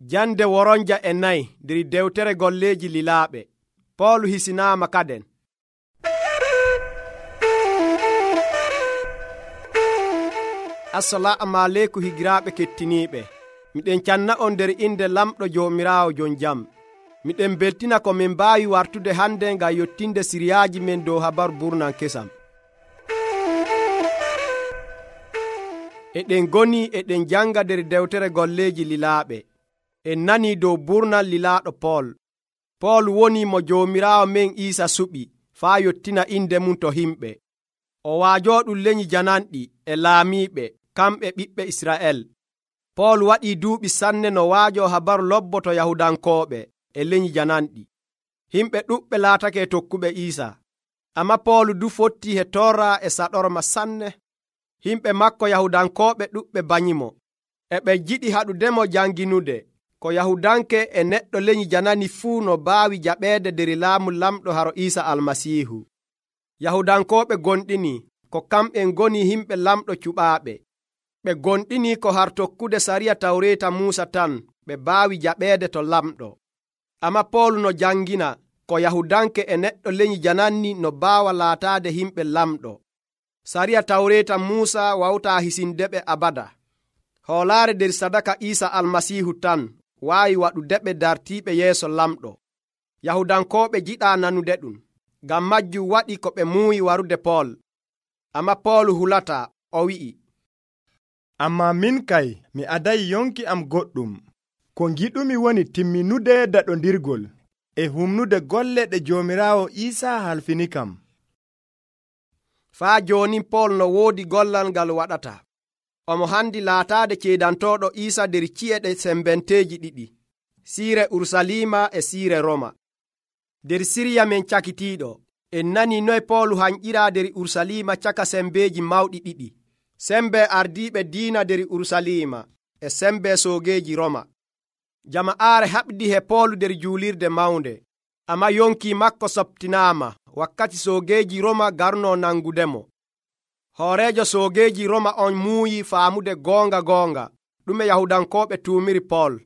Jande woronja e nayi nder dewtere golleeji lilaaɓe. Poolu hisinaama kaden. Assalamu aleykum higiraaɓe kettiniiɓe. Miɗen canna on nder inde lamɗo Joomiraawo jon jam. Miɗen beltina ko min mbaawi wartude hande ngam yottinde siriyaaji men dow habaru burnan kesam. Eɗen goni eɗen janga nder dewtere golleeji lilaaɓe. En nanii dow burnal lilaaɗo Pool. Pool woni mo Joomiraawo men Iisa suɓi faa yottina inde mum to himɓe. O waajooɗum leñi jananɗi e laamiiɓe kamɓe ɓiɓɓe Isra'el. Pool waɗii duuɓi sanne no waajoo habaru lobboto Yahudankooɓe e leñi jananɗi. Himɓe ɗuɓɓe laatake tokkuɓe Iisa. Amma Pool du fottii he torra e saɗorma sanne. Himɓe makko Yahudankooɓe ɗuɓɓe banyimo. E ɓe jiɗi haɗudemo janginude ko Yahudanke e neɗɗo leñi janani fuu no baawi jaɓeede nder laamu lamɗo haro Iisa Almasiihu. Yahudankooɓe gonɗini ko kamɓen ngoni himɓe lamɗo cuɓaaɓe. Ɓe gonɗini ko har tokkude sariya Tawreeta Muusa tan ɓe baawi jaɓeede to lamɗo. Amma Pool no jangina ko Yahudanke e neɗɗo leñi jananni no baawa laataade himɓe lamɗo. Sariya Tawreeta Muusa wawtaa hisindeɓe abada. Hoolaare nder sadaka Iisa Almasiihu tan waawi waɗudeɓe dartiiɓe yeeso lamɗo. Yahudankooɓe jiɗaa nanude ɗum. Ngam majjum waɗi ko ɓe muuyi warude Pool. Amma Pool hulataa, o wi'i, ammaa min kay mi adayi yonki am goɗɗum. Ko ngiɗumi woni timminude daɗondirgol e humnude golle ɗe Joomiraawo Iisa halfini kam. Faa jooni Pool no woodi gollal ngal waɗata. Omo handi laataade ceedantooɗo Iisa nder ci'e ɗe sembenteeji ɗiɗi, siire Urusalima e siire Roma. Nder Siriya men cakitiiɗo, en nanii noye Pool hanƴiraa nder Urusalima caka sembeeji mawɗi ɗiɗi, sembe ardiiɓe diina nder Urusalima e sembe soogeeji Roma. Jama'aare haɓdi he Pool nder juulirde mawnde, amma yonki makko softinaama wakkati soogeeji Roma garnoo nangudemo. Hooreejo soogeeji Roma on muuyi faamude goonga ɗume Yahudankooɓe tuumiri Pool.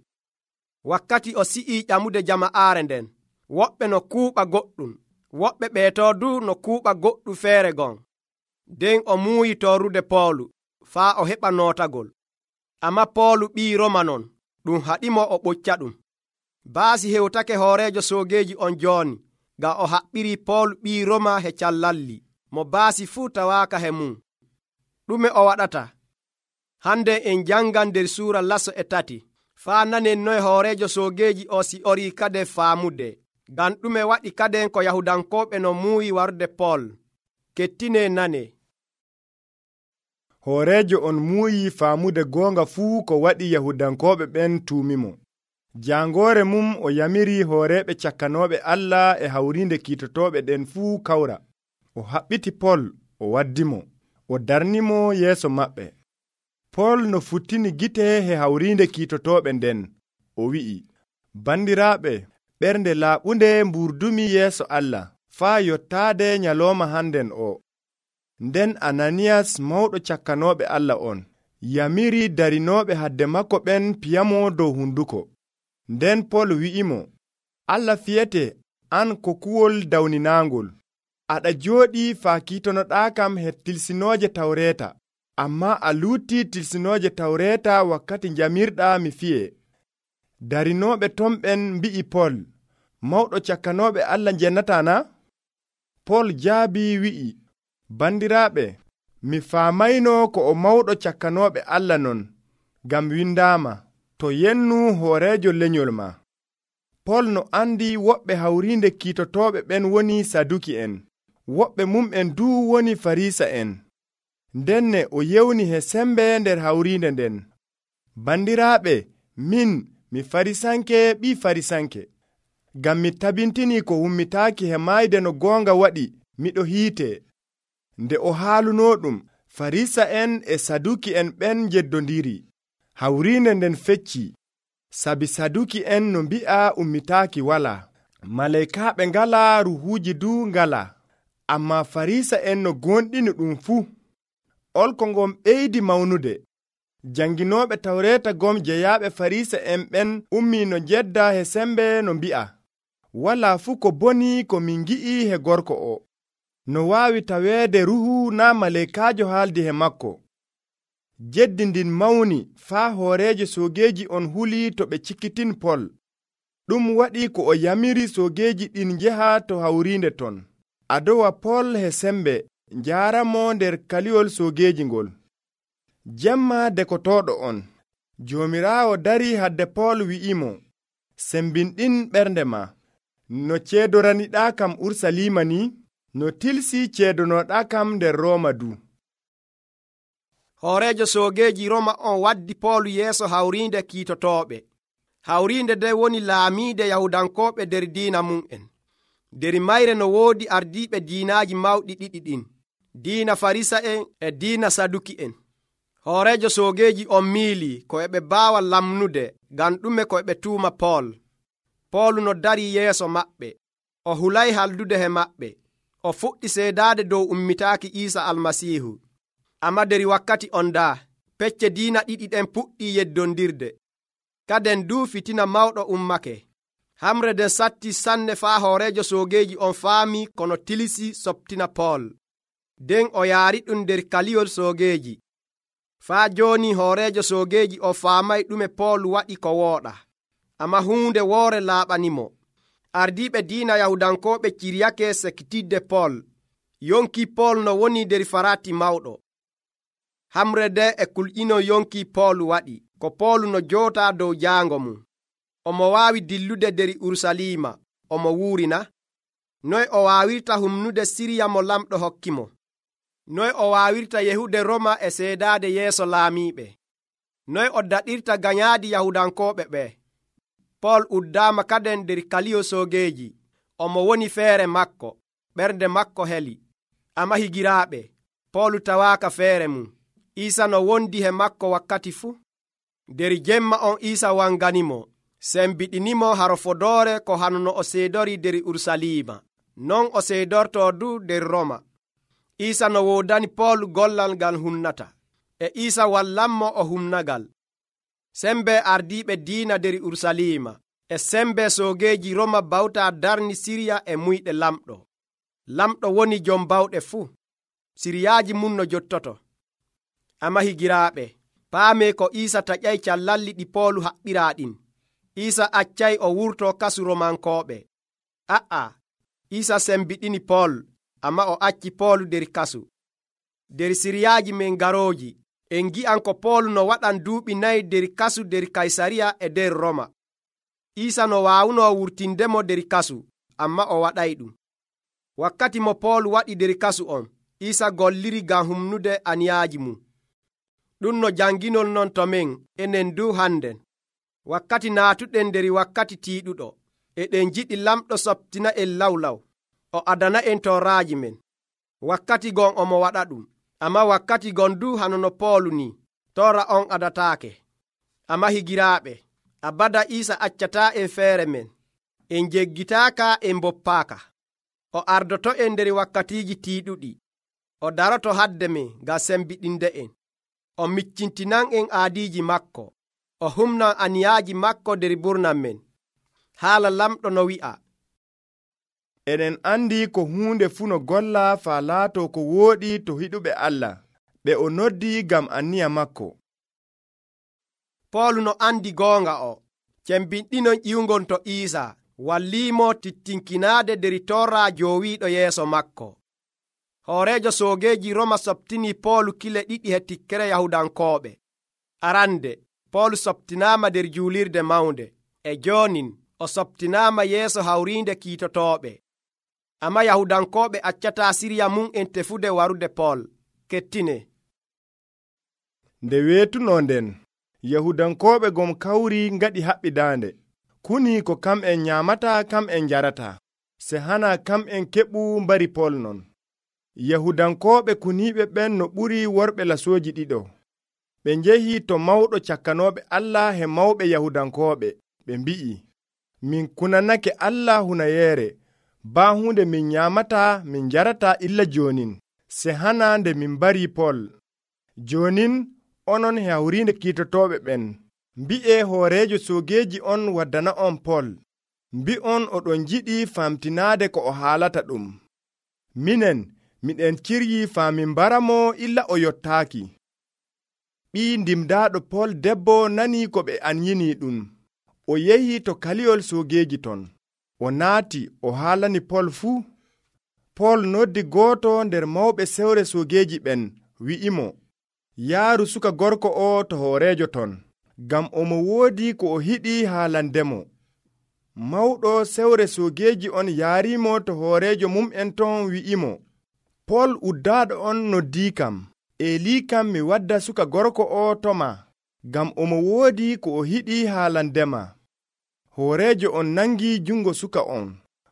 Wakkati o si'ii ƴamude jama'aare nden, woɓɓe no kuuɓa goɗɗum, woɓɓe ɓeetoo du no kuuɓa goɗɗum feere gon. Nden o muuyi torrude Poolu faa o heɓa nootagol. Amma Poolu ɓii Roma non, ɗum haɗimo o ɓocca ɗum. Baasi hewtake hooreejo soogeeji on jooni, ngam o haɓɓirii Poolu ɓii Roma he callalli, mo baasi fuu tawaaka he mum. Ɗume o waɗata? Hande en jangan nder suura laso e 3 faa nanen noye hooreejo soogeeji o si'orii kade faamude. Ngam ɗume waɗi kaden ko Yahudankooɓe no muuyi warude Pool. Kettine nane. Hooreejo on muuyi faamude goonga fuu ko waɗi Yahudankooɓe ɓen tuumimo. Jangoore mum o yamiri hooreeɓe cakkanooɓe Allah e hawrinde kiitotooɓe ɗen fuu kawra. O haɓɓiti Pool, o waddimo, o darnimo yeeso maɓɓe. Pool no futtini gite he hawrinde kiitotooɓe nden, o wi'i, bandiraaɓe, ɓernde laaɓunde mburdumi yeeso Allah faa yottaade nyalooma handen o. Nden Ananiyas mawɗo cakkanooɓe Allah on yamiri darinooɓe hadde makko ɓen piyamo dow hunduko. Nden Pool wi'imo, Allah fiyete an ko kuwol dawninaangol. Aɗa jooɗii faa kiitonoɗaa kam he tilsinooje Tawreeta, ammaa a luutii tilsinooje Tawreeta wakkati jamirɗaa mi fiye. Darinooɓe ton ɓen mbi'i Pool, mawɗo cakkanooɓe Allah jennataa na? Pool jaabii wi'i, bandiraaɓe, mi faamayno ko o mawɗo cakkanooɓe Allah non, ngam windaama, to yennu hooreejo lenyol ma. Pool no andi woɓɓe hawrinde kiitotooɓe ɓen woni Saduki'en, woɓɓe mum'en duu woni Farisa'en. Ndenne o yewni he sembe nder hawrinde nden, bandiraaɓe, min mi Farisanke ɓii Farisanke, ngam mi tabintini ko hummitaaki he maayde no goonga waɗi miɗo hiite. Nde o haaluno ɗum, Farisa'en e Saduki'en ɓen jeddondiri. Hawrinde nden fecci, sabi Saduki'en no mbi'a ummitaaki walaa, malaykaaɓe ngalaa, ruhuuji duu ngalaa, ammaa Farisa'en no gonɗini ɗum fuu. Olko ngon ɓeydi mawnude. Janginooɓe tawreeta gom jeyaaɓe Farisa en ɓen ummi no jedda he sembe no mbi'a, walaa fuu ko boni ko min ngi'i he gorko o. No waawi taweede ruhu naa maleekaajo haaldi he makko. Jeddi ndin mawni faa hooreejo soogeeji on huli to ɓe cikkitin Pol. Ɗum waɗi ko o yamiri soogeeji ɗin njeha to hawriinde ton, adowa Pol he sembe njaaramo nder kaliyol soogeeji ngol. Jemma dekotooɗo on, Joomiraawo darii hadde Pol wi'imo, sembinɗin ɓernde ma. No ceedoraniɗaa kam Urusalima ni, no tilsi ceedonooɗaa kam nder Rooma du. Hooreejo soogeeji Roma on waddi Poolu yeeso hawriinde kiitotooɓe. Hawriinde nde woni laamiide Yahudankooɓe nder diina mum'en. Nder mayre no woodi ardiiɓe diinaaji mawɗi ɗiɗi ɗin, diina Farisa'en e diina Saduki'en. Hooreejo soogeeji on miilii ko eɓe baawa lamnude ngam ɗume ko eɓe tuuma Pool. Poolu no darii yeeso maɓɓe, o hulay haldude he maɓɓe, o fuɗɗi seedaade dow ummitaaki Iisa Almasiihu. Amma nder wakkati on daa, pecce diina ɗiɗi ɗen puɗɗii yeddondirde. Kaden duu fitina mawɗo ummake. Hamre nden satti sanne faa hooreejo soogeeji on faami kono tilisi soptina Pool. Nden o yaari ɗum nder kaliyol soogeeji. Faa jooni hooreejo soogeeji o faamay ɗume Pool waɗi ko wooɗa. Amma huunde woore laaɓanimo. Ardiiɓe diina Yahudankooɓe ciryake sekkitidde Pool. Yonki Pool no woni nder farati mawɗo. Hamre nde e kulƴino yonki Pool waɗi ko Pool no jootaa dow jaango mum. Omo waawi dillude nder Urusalima, omo wuurina. Noy o waawirta humnude Siriya mo lamɗo hokkimo? Noy o waawirta yehude Roma e seedaade yeeso laamiiɓe? Noy o daɗirta ganyaadi Yahudankooɓe ɓe? Pool uddaama kaden nder kaliyo soogeeji. Omo woni feere makko, ɓernde makko heli. Amma higiraaɓe, Pool tawaaka feere mum. Iisa no wondi he makko wakkati fuu. Nder jemma on Iisa wanganimo, sembiɗinimo harofodoore ko hanono o seedori nder Urusalima. Non o seedortoo du nder Roma. Iisa no woodani Pool gollal ngal humnata, e Iisa wallanmo o humnagal. Sembe ardiiɓe diina nder Urusalima e sembe soogeeji Roma bawtaa darni Siriya e muyɗe lamɗo. Lamɗo woni jom bawɗe fuu. Siriyaaji mum no jottoto. Amma higiraaɓe, paamee ko Iisa taƴay callalli ɗi Poolu haɓɓiraa ɗin. Iisa accay o wurtoo kasu Romankooɓe. Iisa sembiɗini Pool, amma o acci Poolu nder kasu. Nder siriyaaji men garooji, en ngi'an ko Poolu no waɗan duuɓi 4 nder kasu nder Kaysariya e nder Roma. Iisa no waawunoo wurtindemo nder kasu, amma o waɗay ɗum. Wakkati mo Poolu waɗi nder kasu on, Iisa golliri ngam humnude aniyaaji mum. Ɗum no janginol non to men enen du hannden. Wakkati naatuɗen nder wakkati tiiɗuɗo, eɗen jiɗi lamɗo soptina en lawlaw, o adana en torraaji men. Wakkati gon omo waɗa ɗum, amma wakkati gon du hanono Poolu ni, torra on adataake. Amma higiraaɓe, abada Iisa accataa en feere men, en jeggitaaka en boppaaka. O ardoto en nder wakkatiiji tiiɗuɗi, o daroto hadde men ngam sembiɗinde en. O miccintinan en aadiiji makko, o humnan aniyaaji makko nder burnam men. Haala lamɗo no wi'a, eɗen andi ko huunde fuu no golla faa laatoo ko wooɗi to hiɗuɓe Allah, ɓe o noddi ngam anniya makko. Poolu no andi goonga o, cembinɗinon ƴiwgon to Iisa, walliimo tittinkinaade nder torra joowiiɗo yeeso makko. Hooreejo soogeeji Roma soptini Poolu kile 2 he tikkere Yahudankooɓe. Arande, Poolu soptinaama nder juulirde mawnde, e joonin o soptinaama yeeso hawriinde kiitotooɓe. Amma Yahudankooɓe accataa Siriya mum en tefude warude Pool. Kettine. Nde weetunoo nden, Yahudankooɓe gom kawri ngaɗi haɓɓidaande. Kuni ko kam'en nyaamataa kam'en njarataa, se hana kam'en keɓu mbari Pool non. Yahudankooɓe kuniiɓe ɓen no ɓuri worɓe lasooji ɗiɗo. Ɓe njehi to mawɗo cakkanooɓe Allah he mawɓe Yahudankooɓe, ɓe mbi'i, min kunanake Allah hunayeere, baa hunde min nyaamataa min njarataa illa joonin, se hana nde min mbari Pool. Joonin onon he hawrinde kiitotoɓe ɓen, mbi'e hoorejo soogeeji on waddana on Pol, mbi'on oɗon jiɗi famtinaade ko o haalata ɗum. Minen miɗen ciryi faamin mbaramo illa o yottaaki. Ɓii ndimdaaɗo Pol debbo nanii ko ɓe anyini ɗum. O yehi to kaliyol soogeeji ton. O naati o haalani Pol fuu. Pol noddi gooto nder mawɓe sewre soogeeji ɓen, wi'imo, yaaru suka gorko o to hooreejo ton, ngam omo woodi ko o hiɗi haalandemo. Mawɗo sewre soogeeji on yaarimo to hooreejo mum'en ton wi'imo, Pol uddaaɗo on noddiikam, eelikam mi wadda suka gorko o toma, ngam omo woodi ko o hiɗi haalandema. Hooreejo on nangi jungo suka on,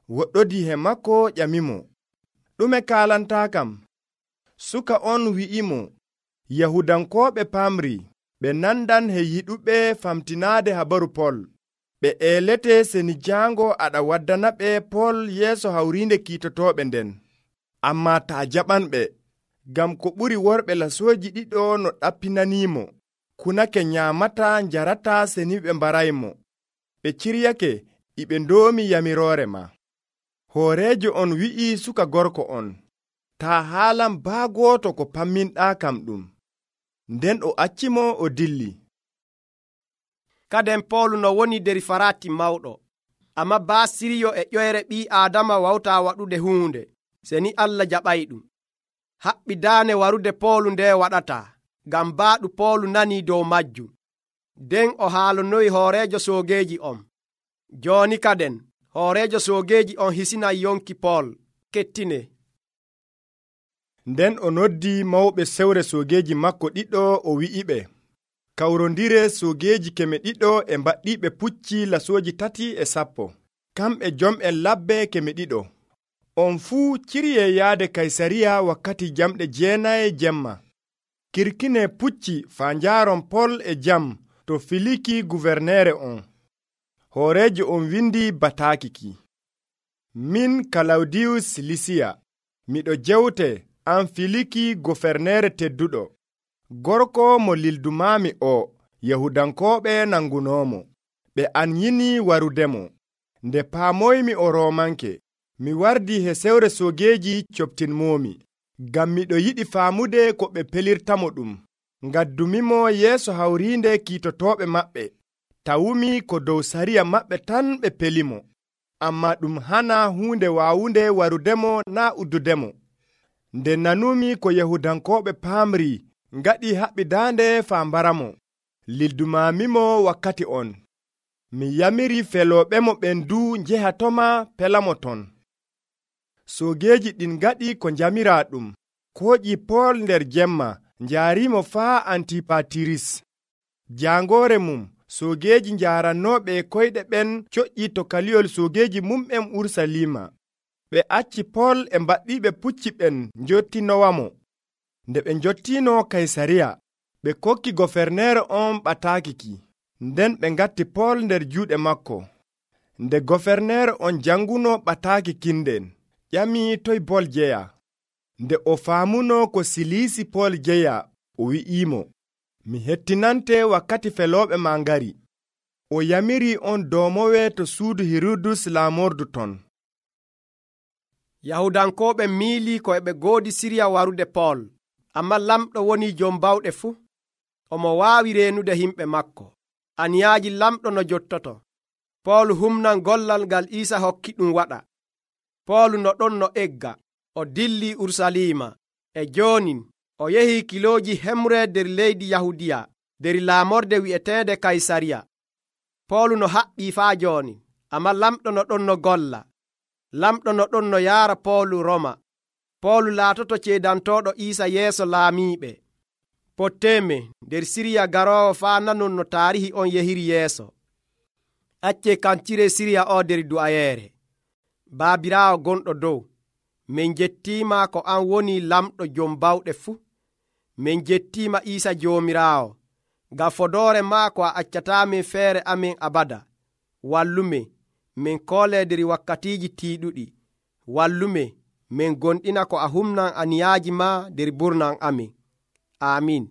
woɗɗodi he makko ƴamimo, ɗume kaalantaakam? Suka on wi'imo, Yahudankooɓe pamri, ɓe nandan he yiɗuɓe famtinaade habaru Pol. Ɓe eelete seni jaango aɗa waddana ɓe Pol yeeso hawrinde kiitotoɓe nden. Ammaa taa jaɓanɓe, ngam ko ɓuri worɓe lasooji ɗiɗo no ɗappinanimo, kunake nyaamata njarata seni ɓe mbaraymo. Ɓe ciryake iɓe ndoomi yamiroore ma. Hooreejo on wi'i suka gorko on, taa haalan baa gooto ko pamminɗaa kam ɗum. Nden o accimo o dilli. Kaden Pawlu no woni der farati mawɗo, amma baa siryo e ƴoyre ɓii Aadama wawta waɗude huunde, seni Allah jaɓay ɗum. Haɓɓi daane warude Pawlu nde waɗata, ngam baaɗu Pawlu nanii dow majjum. Nden o haalonoyi hooreejo soogeeji on. Jooni kaden hooreejo soogeeji on hisinay yonki Pol, kettine. Nden o noddi mawɓe sewre soogeeji makko ɗiɗo o wi'iɓe, kawrondire soogeeji 200 e mbaɗɗiɓe pucci lasooji 310, kamɓe jom'en labbe 200. On fuu cirye yaade Kaysariya wakkati jamɗe 9 jemma. Kirkine pucci faa njaaron Pol e jam to Filiki guverneere on. Hooreejo on windi bataakiki. Min Kalawdiyus Lisiya, miɗo jewte an Filiki guverneere tedduɗo. Gorko mo lildumaami o, Yahudankooɓe nangunoomo. Ɓe anyini warudemo. Nde paamoymi o Roomanke, mi wardi he sewre soogeeji coptinmoomi, ngam miɗo yiɗi faamude ko ɓe pelirtamo ɗum. Ngaddumimo yeeso hawrinde kiitotooɓe maɓɓe, tawumi ko dow sariya maɓɓe tan ɓe pelimo. Ammaa ɗum hana huunde waawunde warudemo naa uddudemo. Nde nanumi ko Yahudankooɓe paamri, ngaɗi haɓɓidaande faa mbaramo. Lildumaamimo wakkati on. Mi yamiri felooɓemo ɓen du njehatoma pelamo ton. Soogeeji ɗin ngaɗi ko njamiraa ɗum, kooƴi Pol nder jemma, njaarimo faa Antipatiris. Jaangoore mum, soogeeji njaarannooɓe koyɗe ɓen coƴƴi to kaliyol soogeeji mum'en Urusalima. Ɓe acci Pol e mbaɗɗiɓe pucci ɓen njottinowamo. Nde ɓe njottino Kaysariya, ɓe kokki goferneere on ɓataakiki. Nden ɓe ngatti Pol nder juuɗe makko. Nde goferneere on janguno ɓataakikin nden, ƴami toy Pol jeya. Nde o faamuno ko Silisi Pol jeya, o wi'imo, mi hettinante wakkati felooɓe ma ngari. O yamiri on doomowe to suudu Hirudus laamordu ton. Yahudankooɓe miili ko eɓe goodi sirya warude Pol, amma lamɗo woni jom bawɗe fuu. Omo waawi reenude himɓe makko. Aniyaaji lamɗo no jottoto. Pol humnan gollal ngal Iisa hokki ɗum waɗa. Pol no ɗon no egga, o dilli Urusalima, e joonin o yehi kilooji hemre nder leydi Yahudiya, nder laamorde wi'eteende Kaysariya. Pol no haɓɓii faa jooni, amma lamɗo no ɗon no golla. Lamɗo no ɗon no yaara Pol Roma. Pol laatoto ceedantooɗo Iisa yeeso laamiiɓe. Potteeme nder Siriya garoowo faa nanon no taarihi on yehiri yeeso. Accee kancire Siriya o nder du'ayeere. Baabiraawo gonɗo dow, min jettiima ko an woni lamɗo jom bawɗe fuu. Min jettiima Iisa Joomiraawo, ngam fodoore maako a accataamin feere amin abada. Wallumin, min koolee nder wakkatiiji tiiɗuɗi. Wallumin, min gonɗina ko a humnan aniyaaji ma nder burnan amin. Amin.